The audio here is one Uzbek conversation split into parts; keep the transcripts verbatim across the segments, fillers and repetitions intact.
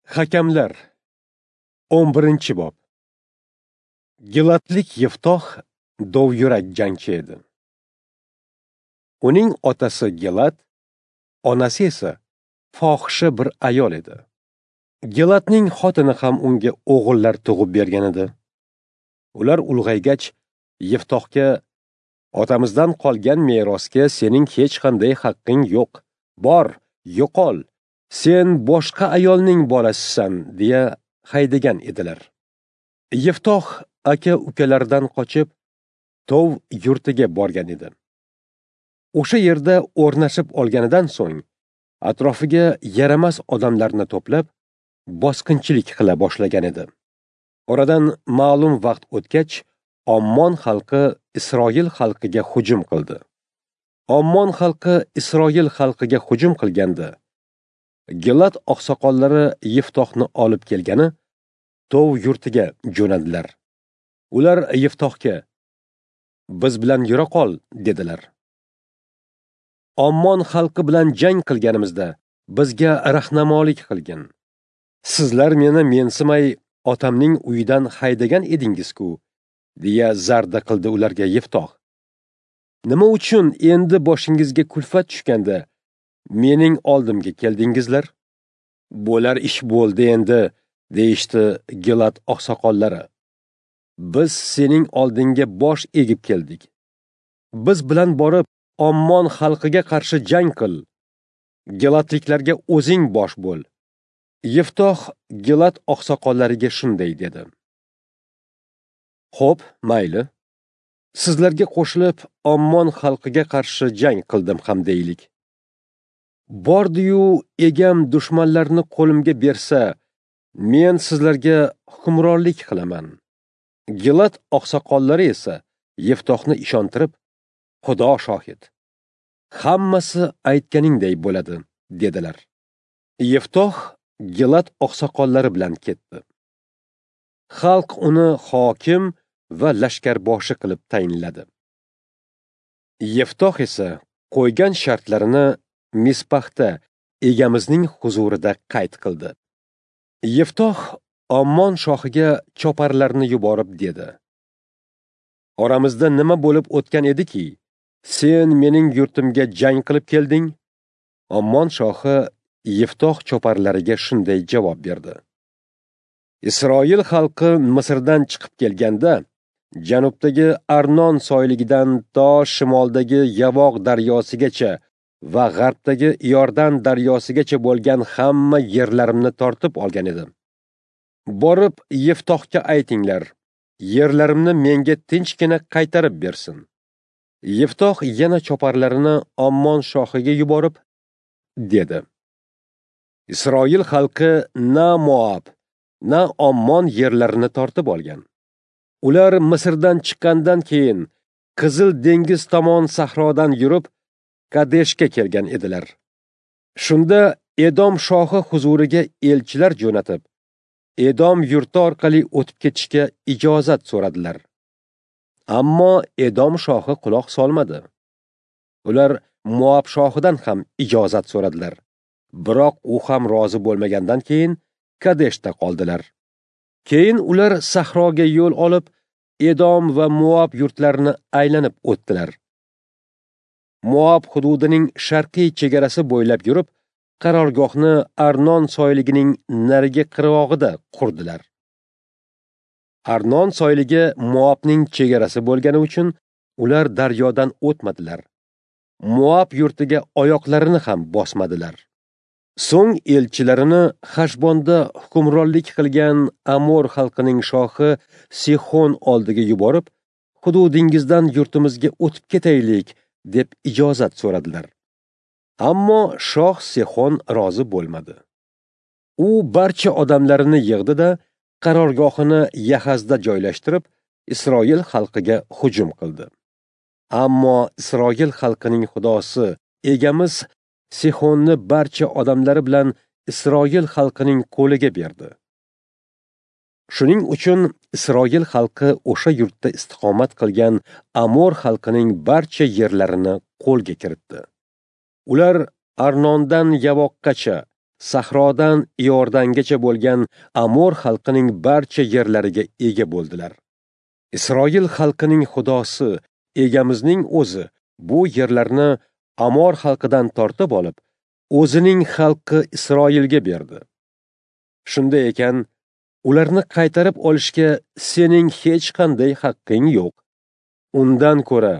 Hakamlar o'n birinchi bob. Gilatlik Yeftoh dovyurak jangchi edi. Uning otasi Gilat, onasi esa fohisha bir ayol edi. Gilatning xotini ham unga o'g'illar tug'ib bergan edi. Ular ulg'aygach Yeftohga: "Otamizdan qolgan merosga sening hech qanday haqqing yo'q. Bor, yo'qol. Sen boshqa ayolning bolasisan" deya haydagan edilar. Yeftoh aka-ukalaridan qochib Tov yurtiga borgan edi. O'sha yerda o'rnashib olganidan so'ng atrofiga yaramas odamlarni to'plab bosqinchilik qila boshlagan edi. Oradan ma'lum vaqt o'tgach, Ommon xalqi Isroil xalqiga hujum qildi. Ommon xalqi Isroil xalqiga hujum qilganda Gilat oqsoqollari Yeftohni olib kelgani Tov yurtiga jo'nadilar. Ular Yeftohga: "Biz bilan yura qol" dedilar. "Ommon xalqi bilan jang qilganimizda bizga rahnamolik qilgin. Sizlar meni mensimay otamning uyidan haydagan edingiz-ku" deya zarda qildi ularga Yeftoh. "Nima uchun endi boshingizga kulfat tushganda mening oldimga keldingizlar? Bo'lar ish bo'ldi endi" deyishdi Gilat oqsoqollari. "Biz sening oldingga bosh egib keldik. Biz bilan borib Ommon xalqiga qarshi jang qil. Gilatliklarga o'zing bosh bo'l." Yeftoh Gilat oqsoqollariga shunday dedi: "Xo'p, mayli. Sizlarga qo'shilib Ommon xalqiga qarshi jang qildim ham deylik. Bordi-yu egam dushmanlarni qo'limga bersa, men sizlarga hukmronlik qilaman." Gilat oqsoqollari esa Yeftohni ishontirib, "Xudo shohid, hammasi aytganingday bo'ladi" dedilar. Yeftoh Gilat oqsoqollari bilan ketdi. Xalq uni hokim va lashkarboshi qilib tayinladi. Yeftoh esa qo'ygan shartlarini Mispaxda egamizning huzurida qayd qildi. Yeftoh Ommon shohiga choparlarni yuborib dedi: "Oramizda nima bo'lib o'tgan ediki, sen mening yurtimga jang qilib kelding?" Ommon shohi Yeftoh choparlariga shunday javob berdi: "Isroil xalqi Misrdan chiqib kelganda, janubdagi Arnon soyligidan to shimoldagi Yavoq daryosigacha va g'arbdagi Iordan daryosigacha bo'lgan hamma yerlarimni tortib olgan edim. Borib Yeftohga aytinglar, yerlarimni menga tinchgina qaytarib bersin." Yeftoh yana choparlarini Ommon shohiga yuborib dedi: "Isroil xalqi na Moab, na Ommon yerlarini tortib olgan. Ular Misrdan chiqqandan keyin Qizil dengiz tomon sahrodan yurib Kadeshga kelgan edilar. Shunda Edom shohi huzuriga elchilar jo'natib, Edom yurti orqali o'tib ketishga ijozat so'radilar. Ammo Edom shohi quloq solmadi. Ular Moab shohidan ham ijozat so'radilar. Biroq u ham rozi bo'lmagandan keyin Kadeshda qoldilar. Keyin ular sahroga yo'l olib, Edom va Moab yurtlarini aylanib o'tdilar. Moab hududining sharqiy chegarasi bo'ylab yurib, qarorgohni Arnon soyligining narigi qirg'og'ida qurdilar. Arnon soyligi Moabning chegarasi bo'lgani uchun ular daryodan o'tmadilar. Moab yurtiga oyoqlarini ham bosmadilar. So'ng elchilarini Xashbonda hukmronlik qilgan Amor xalqining shohi Sixon oldiga yuborib, hududingizdan yurtimizga o'tib ketaylik deb ijozat so'radilar. Ammo shoh Sixon rozi bo'lmadi. U barcha odamlarini yig'di-da, qarorgohini Yahazda joylashtirib, Isroil xalqiga hujum qildi. Ammo Isroil xalqining xudosi egamiz Sixonni barcha odamlari bilan Isroil xalqining qo'liga berdi. Shuning uchun Isroil xalqi o'sha yurtda istiqomat qilgan Amor xalqining barcha yerlarini qo'lga kiritdi. Ular Arnondan Yavoqqacha, sahrodan Iordangacha bo'lgan Amor xalqining barcha yerlariga ega bo'ldilar. Isroil xalqining Xudosi Egamizning o'zi bu yerlarni Amor xalqidan tortib olib, o'zining xalqi Isroilga berdi. Shunday ekan, ularni qaytarib olishga sening hech qanday haqqing yo'q. Undan ko'ra,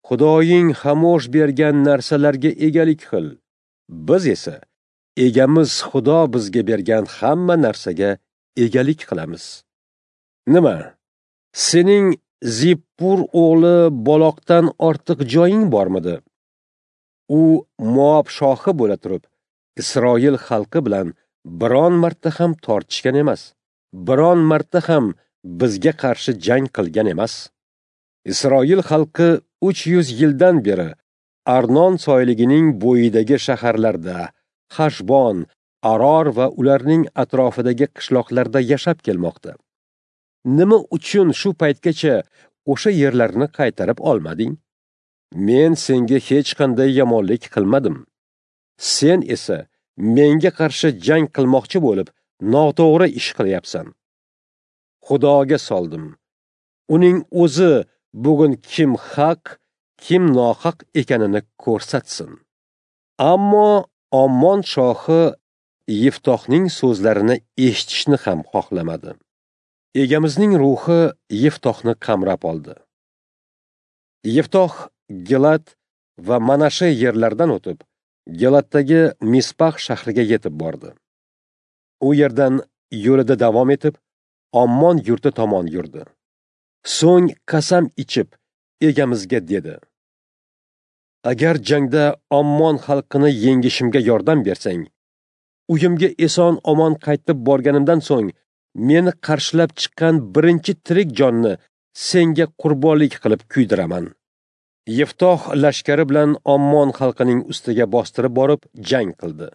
Xudoying Xamosh bergan narsalarga egalik qil. Biz esa Egamiz Xudo bizga bergan hamma narsaga egalik qilamiz. Nima? Sening Zippur o'g'li Baloqdan ortiq joying bormidi? U Moab shohi bo'la turib, Isroil xalqi bilan biron marta ham tortishgan emas, biron marta ham bizga qarshi jang qilgan emas. Isroil xalqi uch yuz yildan beri Arnon soyligining bo'yidagi shaharlarda, Hashbon, Aror va ularning atrofidagi qishloqlarda yashab kelmoqda. Nima uchun shu paytgacha o'sha yerlarni qaytarib olmading? Men senga hech qanday yomonlik qilmadim. Sen esa menga qarshi jang qilmoqchi bo'lib, noto'g'ri ish qilyapsan. Xudoga soldim. Uning o'zi bugun kim haq, kim nohaq ekanini ko'rsatsin. Ammo Ommon shohi Yiftohning so'zlarini eshitishni ham xohlamadi. Egamizning ruhi Yiftohni qamrab oldi. Yiftoh Gilad va Manashe yerlaridan o'tib, Giladdagi Mispax shahriga yetib bordi. U yerdan yo'lida davom etib, Ommon yurti tomon yurdi. So'ng qasam ichib, Egamizga dedi: Agar jangda Ommon xalqini yengishimga yordam bersang, uyimga eson omon qaytib borganimdan so'ng meni qarshilab chiqqan birinchi tirik jonni senga qurbonlik qilib kuydiraman. Yiftoh lashkari bilan Ommon xalqining ustiga bostirib borib jang qildi.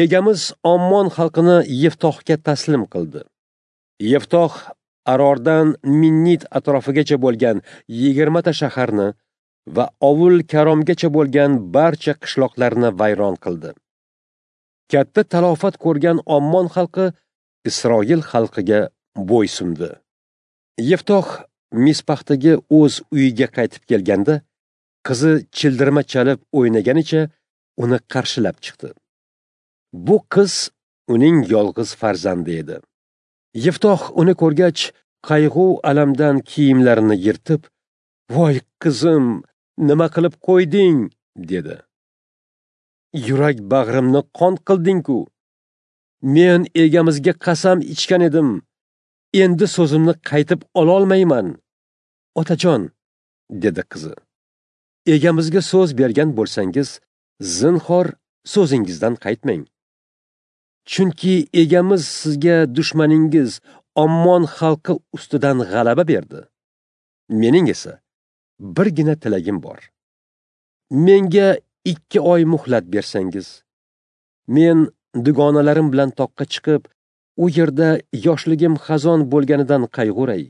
Egamiz Ommon xalqini Yiftohga taslim qildi. Yiftoh Arordan Minnit atrofigacha bo'lgan yigirmata shaharni va Ovul Karomgacha bo'lgan barcha qishloqlarni vayron qildi. Katta talofat ko'rgan Ommon xalqi Isroil xalqiga bo'ysundi. Yiftoh Mispaxdagi o'z uyiga qaytib kelganda, qizi childirma chalib o'ynaganicha uni qarshilab chiqdi. Bu qiz uning yolg'iz farzandi edi. Yiftoh uni ko'rgach, qayg'u alamdan kiyimlarini yirtib, "Voy qizim, nima qilib qo'yding?" dedi. "Yurak bag'rimni qon qilding-ku. Men egamizga qasam ichgan edim. Endi so'zimni qaytib ololmayman." "Otajon," dedi qizi, "egamizga so'z bergan bo'lsangiz, zinhor so'zingizdan qaytmang. Chunki egamiz sizga dushmaningiz Ommon xalqi ustidan g'alaba berdi. Mening esa birgina tilagim bor. Menga ikki oy muhlat bersangiz, men dugonalarim bilan toqqa chiqib, u yerda yoshligim xazon bo'lganidan qayg'uray.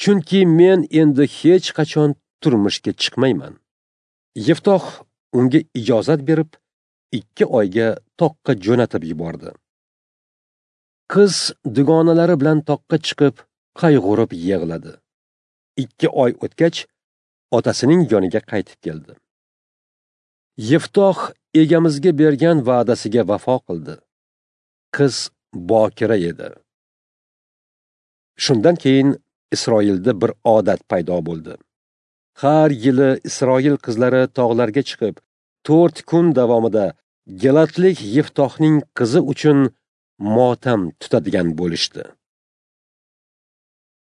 Chunki men endi hech qachon turmushga chiqmayman." Yiftoh unga ijozat berib, ikki oyga toqqa jo'natib yubordi. Qiz dugonalari bilan toqqa chiqib, qayg'urib yig'ladi. Ikki oy o'tgach, otasining yoniga qaytib keldi. Yiftoh egamizga bergan va'dasiga vafo qildi. Qiz bokira edi. Shundan keyin Isroilda bir odat paydo bo'ldi. Har yili Isroil qizlari tog'larga chiqib, to'rt kun davomida Giladlik Yiftohning qizi uchun motam tutadigan bo'lishdi.